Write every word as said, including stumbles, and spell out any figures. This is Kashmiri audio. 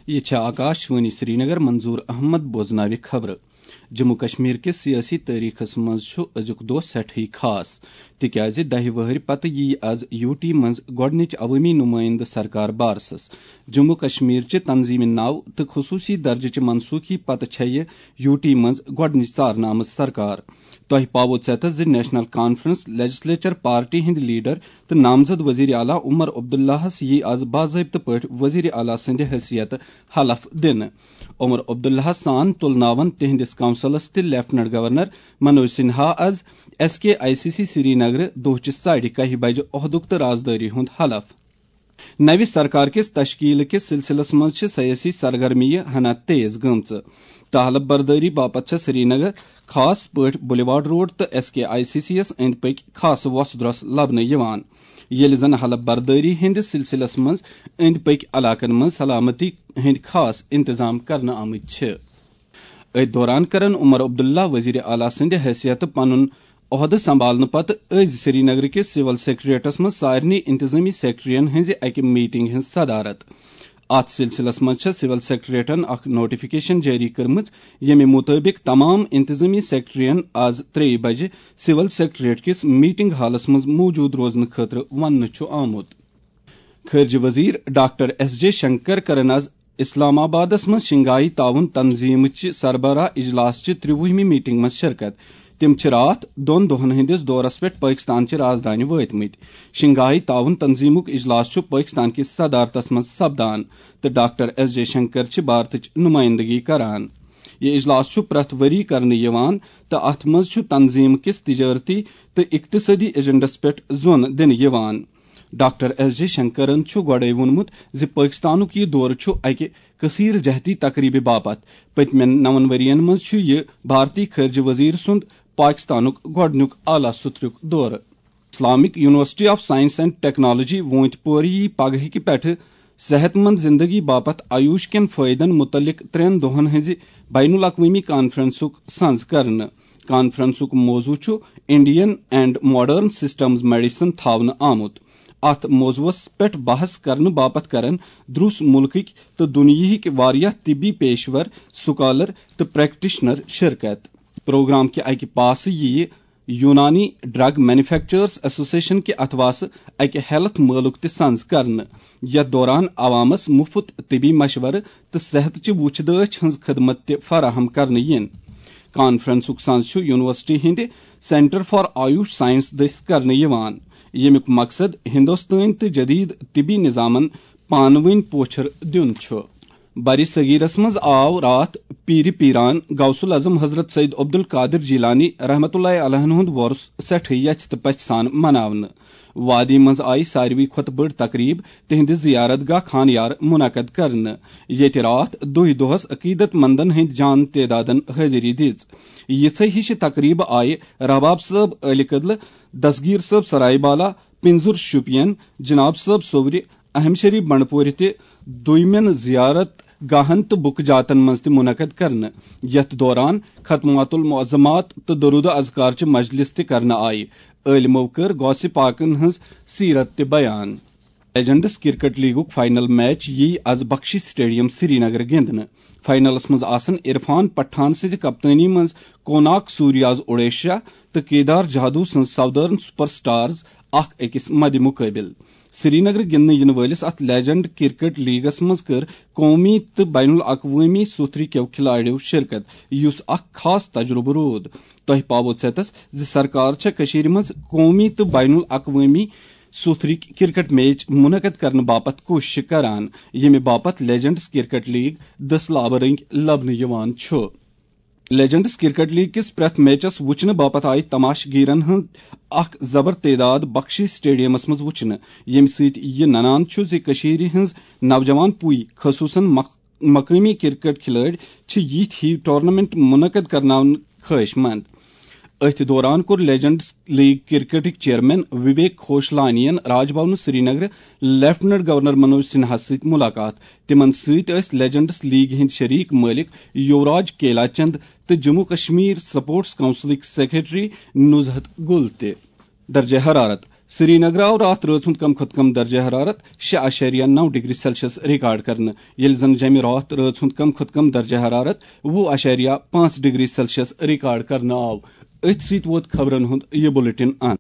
یہِ چھےٚ آکاش وانی سرینگر۔ منظور احمد بوزناوِ خبرٕ۔ جموں کشمیر کِس سیٲسی تٲریخس منٛز چھُ أزیُک دۄہ سٮ۪ٹھٕے خاص، تِکیازِ دَہہِ وٕہٕرۍ پتہٕ یِیہِ از یو ٹی منٛز گۄڈٕنِچ عوٲمی نُمٲیِندٕ سرکار بارسس۔ جموں کشمیر چہِ تنظیٖمہِ ناو تہٕ خصوٗصی درجہٕ چہِ منسوخی پتہٕ چھےٚ یہِ یو ٹی منٛز گۄڈٕنِچ ژارنہٕ آمٕژ سرکار۔ تۄہہِ پاوو ژیتس زِ نیشنل کانفرنس لیجسلیچر پارٹی ہٕنٛدۍ لیڈر تہٕ نامزد وزیر اعلیٰ عمر عبداللہس یِیہِ از باضٲبطہٕ پٲٹھۍ وزیر اعلیٰ سٕنٛدِ حیثیتہٕ حلف دِنہٕ۔ عمر عبداللہ سان تُلناون تِہنٛدِس کونسلس تہٕ لیفٹننٹ گورنر منوج سنہا از S K I C C سرینگرٕ دۄہچہِ ساڑِ کاہہِ بجہِ عہدُک تہٕ رازدٲری ہُنٛد حلف۔ نوِ سرکار کِس تشکیل کِس سلسلس منٛز چھِ سیٲسی سرگرمیہِ ہنا تیز گٔمژٕ۔ تہٕ حلف بردٲری باپتھ چھےٚ سرینگر خاص پٲٹھۍ بلیوارڈ روڈ تہٕ S K I C C یس أنٛدۍ پٔکۍ خاص وۄسہٕ درۄس لبنہٕ یِوان، ییٚلہِ زن حلف بردٲری ہٕنٛدِس سلسلس منٛز أنٛدۍ پٔکۍ علاقن منٛز سلامتی ہٕنٛدۍ خاص انتظام کرنہٕ آمٕتۍ چھِ۔ أتھۍ دوران کرن عمر عبداللہ وزیر اعلیٰ سٕنٛدِ حیثیتہٕ پنُن عہدٕ سنبھالنہٕ پتہٕ أزۍ سرینگرٕ کِس سول سیکرٹریٹس منٛز سارنٕے انتظامی سیکرٹرین ہٕنٛزِ اکہِ میٹنگ ہٕنٛز صدارت۔ اتھ سلسلس منٛز چھےٚ سول سیکرٹریٹن اکھ نوٹیفکیشن جٲری کٔرمٕژ، ییٚمہِ مُطٲبِق تمام انتظامی سیکرٹرین از ترٛیٚیہِ بجہِ سول سیکرٹریٹ کِس میٹنگ ہالس منٛز موجود روزنہٕ خٲطرٕ وننہٕ چھُ آمُت۔ خارجہ وزیر ڈاکٹر ایس جے شنکر کرن از اسلام آبادس منٛز شنگھائی تعاون تنظیمٕچہِ سربراہ اجلاس چہِ ترٛوُہمہِ میٹنگ منٛز شرکت۔ تِم چھِ راتھ دۄن دۄہن ہٕنٛدِس دورس پٮ۪ٹھ پٲکستان چہِ رازدانہِ وٲتمٕتۍ۔ شنگھائی تعاون تنظیمُک اجلاس چھُ پٲکستان کِس صدارتس منٛز سپدان تہٕ ڈاکٹر ایس جے شنکر چھِ بھارتٕچ نمائندگی کران۔ یہِ اجلاس چھُ پرٛٮ۪تھ ؤری کرنہٕ یِوان تہٕ اتھ منٛز چھُ تنظیم کِس تجارتی تہٕ اقتصٲدی ایجنڈس پٮ۪ٹھ زون دِنہٕ یِوان۔ ڈاکٹر ایس جے شنکرن چھُ گۄڈَے ووٚنمُت زِ پٲکستانُک یہِ دورٕ چھُ اکہِ کثیر جہتی تقریبہِ باپتھ۔ پٔتمٮ۪ن نَوَن ؤرین منٛز چھُ یہِ بھارتی خارجہ وزیر سُنٛد پاکستانُک گۄڈٕنیُک اعلیٰ سطرُک دورٕ۔ Islamic university of science and technology Awantipora پگہٕکہِ پٮ۪ٹھٕ صحت مند زندگی باپتھ آیوش کٮ۪ن فٲیدن متعلق ترٛٮ۪ن دۄہن ہٕنٛزِ بین الاقوٲمی کانفرنسُک سنز کرنہٕ۔ کانفرنسُک موضوع چھُ Indian and Modern Systems Medicine تھاونہٕ آمُت۔ اتھ موضوعس پٮ۪ٹھ بحث کرنہٕ باپتھ کرن دروس ملکٕکۍ تہٕ دُنیاہٕکۍ واریاہ طبی پیشور، سکالر تہٕ پریکٹیشنر شرکت۔ پروگرام کہِ اکہِ پاسہٕ یِیہِ یونانی ڈرگ مینوفیکچررز ایسوسیشن کہِ اتھواسہٕ اکہِ ہیلتھ مٲلُک تہِ سنز کرنہٕ، یتھ دوران عوامس مفت طبی مشورٕ تہٕ صحت چہِ وُچھ دٲچھ ہٕنٛز خدمت تہِ فراہم کرنہٕ یِن۔ کانفرنسُک سنز چھُ یونیورسٹی ہٕنٛدِ سینٹر فار آیوش سائنس دٔسۍ کرنہٕ یِوان، ییٚمیُک مقصد ہندوستٲنۍ تہٕ جدید طبی نظامن پانہٕ ؤنۍ پوچھر دیُن چھُ۔ بر صغیرس منٛز آو راتھ پیٖرِ پیٖران غوث العظم حضرت سید عبدالقادر جیلانی رحمتہ اللہ علیہ ہُنٛد وۄرُس سٮ۪ٹھٕے یژھِ تہٕ پژھِ سان مناونہٕ۔ وادی منٛز آیہِ ساروی کھۄتہٕ بٔڑ تقریب تِہنٛدِ زیارت گاہ خان یار منعقد کرنہٕ، ییٚتہِ راتھ دُہۍ دۄہس عقیدت مندن ہٕنٛدۍ جان تعدادن حٲضری دِژ۔ یِژھے ہِشہِ تقریبہٕ آیہِ رباب صٲب عٲلہِ کدلہٕ، دستگیر صٲب سراے بالا، پنزُر شُپین، جناب صٲب صوورِ، اہم شریف بنڈپورِ تہِ دویمٮ۪ن زیارت گاہن تہٕ بُکہٕ جاتن منٛز تہِ منعقد کرنہٕ، یتھ دوران ختمات المعظمات تہٕ درود و اذکار چہِ مجلس تہِ کرنہٕ آیہِ۔ عٲلمو کٔر غوثِ پاکن ہٕنٛز سیرت تہِ بیان۔ لیجنڈز کرکٹ لیگُک فائنل میچ یِیہِ از بخشی سٹیڈیم سرینگر گِنٛدنہٕ۔ فائنلس منٛز آسن عرفان پٹھان سٕنٛزِ کپتٲنی منٛز کوناک سوریاز اوڈیشا تہٕ کیدار جادو سٕنٛز ساودرن سپر سٹارز اکھ أکِس مدِ مقٲبِل۔ سرینگرٕ گِنٛدنہٕ یِنہٕ وٲلِس اتھ لیجنڈ کرکٹ لیگس منٛز کٔر قومی تہٕ بین الاقوٲمی سوتھرِ کیو کھلاڑیو شرکت، یُس اکھ خاص تجربہٕ روٗد۔ تۄہہِ پاوو ژیتس زِ سرکار چھےٚ کٔشیٖرِ منٛز قومی تہٕ بین الاقوٲمی سوتھرٕکۍ کرکٹ میچ منعقد کرنہٕ باپتھ کوٗششہٕ کران، ییٚمہِ باپتھ لیجنڈز کرکٹ لیگ دٔسۍ لابہٕ رٔنگۍ لبنہٕ یِوان چھُ۔ لیجنڈز کرکٹ لیگ کِس پرٛٮ۪تھ میچس وُچھنہٕ باپتھ آیہِ تماشہٕ گیرن ہُنٛد اکھ زبر تعداد بخشی سٹیڈیمس منٛز وُچھنہٕ، ییٚمہِ سۭتۍ یہِ ننان چھُ زِ کٔشیٖرِ ہٕنٛز نوجوان پُے، خصوٗصن مق-، مقٲمی کرکٹ کھلٲڑۍ، چھِ یِتھۍ ہِوۍ ٹورنامنٹ منعقد کرناونہٕ خٲہِش مند۔ أتھۍ دوران کوٚر لیجنڈز لیگ کرکٹٕکۍ چیئرمین وویک کھوشلانین راج بھونہٕ سرینگرٕ لیفٹننٹ گورنر منوج سنہاہس سۭتۍ ملاقات۔ تِمن سۭتۍ ٲسۍ لیجنڈز لیگ ہٕنٛدۍ شریک مٲلک یوراج کیلا چند تہٕ جموں کشمیر سپورٹس کونسلٕکۍ سیکرٹری نزہت گل تہِ۔ درجہ حرارت۔ سرینگر آو راتھ رٲژ ہُنٛد کم کھۄتہٕ کم درجہ حرارت شےٚ اعشاریہ نو ڈگری سیلسیس ریکارڈ کرنہٕ، ییٚلہِ زن جمہِ راتھ رٲژ ہُنٛد کم کھۄتہٕ کم درجہ حرارت وُہ اعشاریہ پانٛژھ ڈگری سیلسیس ریکارڈ کرنہٕ آو۔ أتھۍ سۭتۍ ووت خبرن ہُنٛد یہِ بلیٹن انت۔